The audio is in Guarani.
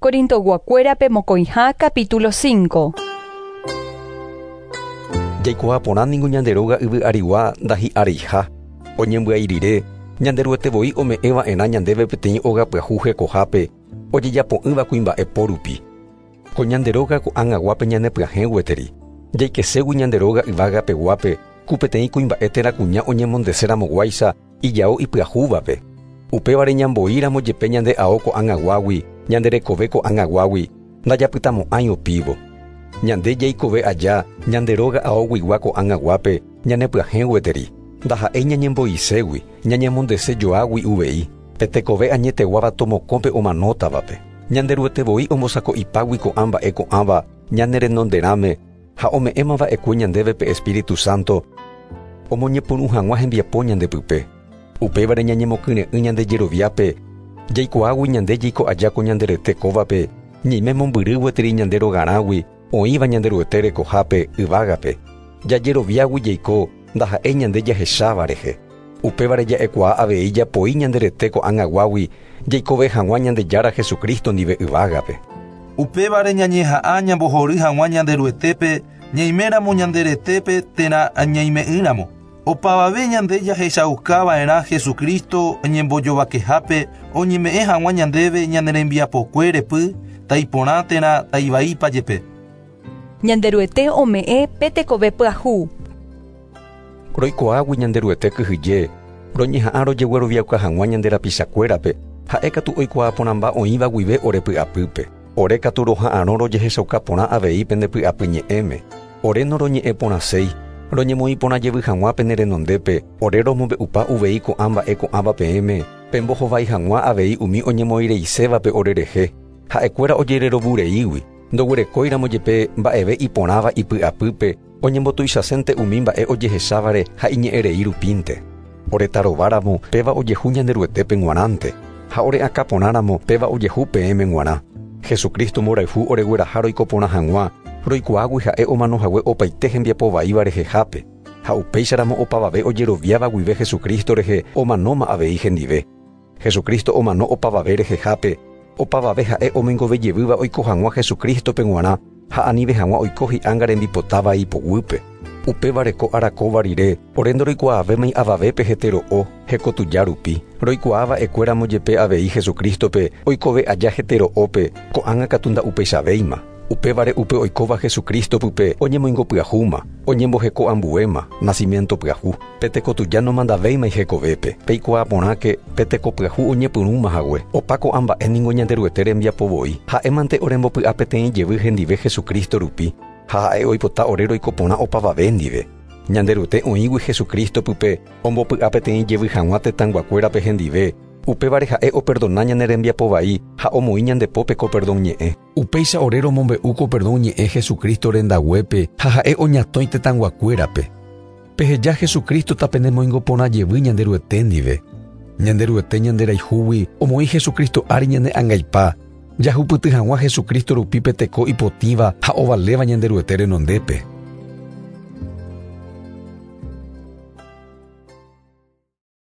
Corintoyguakuérape mokõiha capítulo 5. Jaikuaa porã ningo ñande róga yvy arigua ndahi'areiha. Oñembyai rire, Ñanderuete voi ome'ẽ va'erã ñandéve peteĩ óga pyahu hekohápe, ojejapo'ỹva kuimba'e po rupi. Ko ñande róga ko'ag̃aguápe ñanepyahẽ gueteri. Jaikeségui ñande róga yvága peguápe, ku peteĩ kuimba'e térã kuña oñemondeséramo guáicha ijao ipyahúvape. Upévare ñamboíramo jepe ñande ao ko'ag̃aguágui, ñande rekove ko'ag̃aguágui, ndajapytamo'ãi opívo. Ñande jaikove aja ñande róga aoguigua ko'ag̃aguápe ñanepyahẽ gueteri, ndaha'éi ñañembo'iségui, ñañemondese joágui uvei, pe tekove añeteguáva tomokõ pe omanótavape. Ñanderuete voi ombosako'ipágui ko'ã mba'e ko'ãva ñane renonderãme ha ome'ẽma va'ekue ñandéve pe Espíritu Santo omoñepyrũ hag̃ua hembiapo ñande pype. Upévare ñañemokyre'ỹ ñande jeroviápe, jaikuaágui ñande jaiko aja ko ñande rete kóvape, ñaime mombyry gueteri ñande rogarãgui oĩva Ñanderuete rekohápe yvágape. Jajeroviágui jaiko ndaha'éi ñande jahecháva rehe. Upévare ja'ekuaa avei japoi ñande rete ko'ag̃aguágui jaikove hag̃ua Ñandejára Jesucristo ndive yvágape. Upévare ñañeha'ã ñambohory hag̃ua Ñanderuetépe ñaiméramo ñande retépe térã ñaime'ỹramo. Opavave ñande jahechauka va'erã Jesucristo ñembojovakehápe oñeme'ẽ hag̃ua ñandéve ñane rembiapokue repy, taiporã térã taivaípa jepe. Ñanderuete ome'ẽ pe tekove pyahu. Roikuaágui Ñanderuete kyhyje, roñeha'ã rojegueroviauka hag̃ua ñande rapichakuérape, ha'e katu oikuaa porãmba oĩva guive ore py'apýpe. Ore katu roha'arõ rojehechauka porã avei pende py'apy ñe'ẽme. Ore noroñe'ẽ porãséi, roñemoĩ porã jevy hag̃ua pene renondépe, ore romombe'upa uvei ko'ã mba'e ko'ãva peẽme, pembohovái hag̃ua avei umi oñemoĩreisévape orerehe, ha'ekuéra ojererovureígui, ndoguerekóiramo jepe mba'eve iporãva ipy'apýpe, oñembotuichasénte umi mba'e ojehechávare ha iñe'ẽrei rupínte. Ore tarováramo, péva ojehu Ñanderuetépe g̃uarãnte, ha ore akã porãramo, péva ojehu peẽme g̃uarã. Jesucristo mborayhu oregueraha roiko porã hag̃ua, roikuaágui ha'e omano hague opaite hembiapo vaíva rehehápe, ha upéicharamo opavave ojeroviáva guive Jesucristo rehe omanóma avei hendive. Jesucristo omano opavave rehehápe, opavave ha'e omoingove jevýva oiko hag̃ua Jesucristo-pe g̃uarã ha anive hag̃ua oiko hi'ánga rembipota vai poguýpe. Upévare ko ára kóva rire, ore ndoroikuaavémai avavépe hete ro'o, heko tuja rupi. Roikuaa va'ekue ramo jepe avei Jesucristo-pe oikove aja hete ro'ópe, ko'ág̃a katu nda'upeichavéima. Upévare upe oikóva Jesucristo pype oñemoingo pyahúma, oñemboheko ambuéma, nacimiento pyahu. Pe teko tuja nomandavéimai hekovépe. Peikuaa porãke, pe teko pyahu oñepyrũma hague. Opa ko'ã mba'e ningo Ñanderuete rembiapo voi. Ha'e mante orembopy'a peteĩ jevy hendive Jesucristo rupi, ha ha'e oipota ore roiko porã opavave ndive. Ñanderuete oĩgui Jesucristo pype ombopy'a peteĩ jevy hag̃ua tetãyguakuérape hendive, upévare ha'e operdona ñane rembiapo vai ha omoĩ ñande pópe ko perdón ñe'ẽ. Upéicha ore romombe'u ko perdón ñe'ẽ Jesucristo rendaguépe ha ha'e oñatõi tetãyguakuérape. Peheja Jesucristo tapenemoingo porã jevy Ñanderuete ndive. Ñanderuete ñanderayhúgui omoĩ Jesucristo ári ñane angaipa, jahupyty hag̃ua Jesucristo rupi pe teko ipotĩva ha ovaléva Ñanderuete renondépe.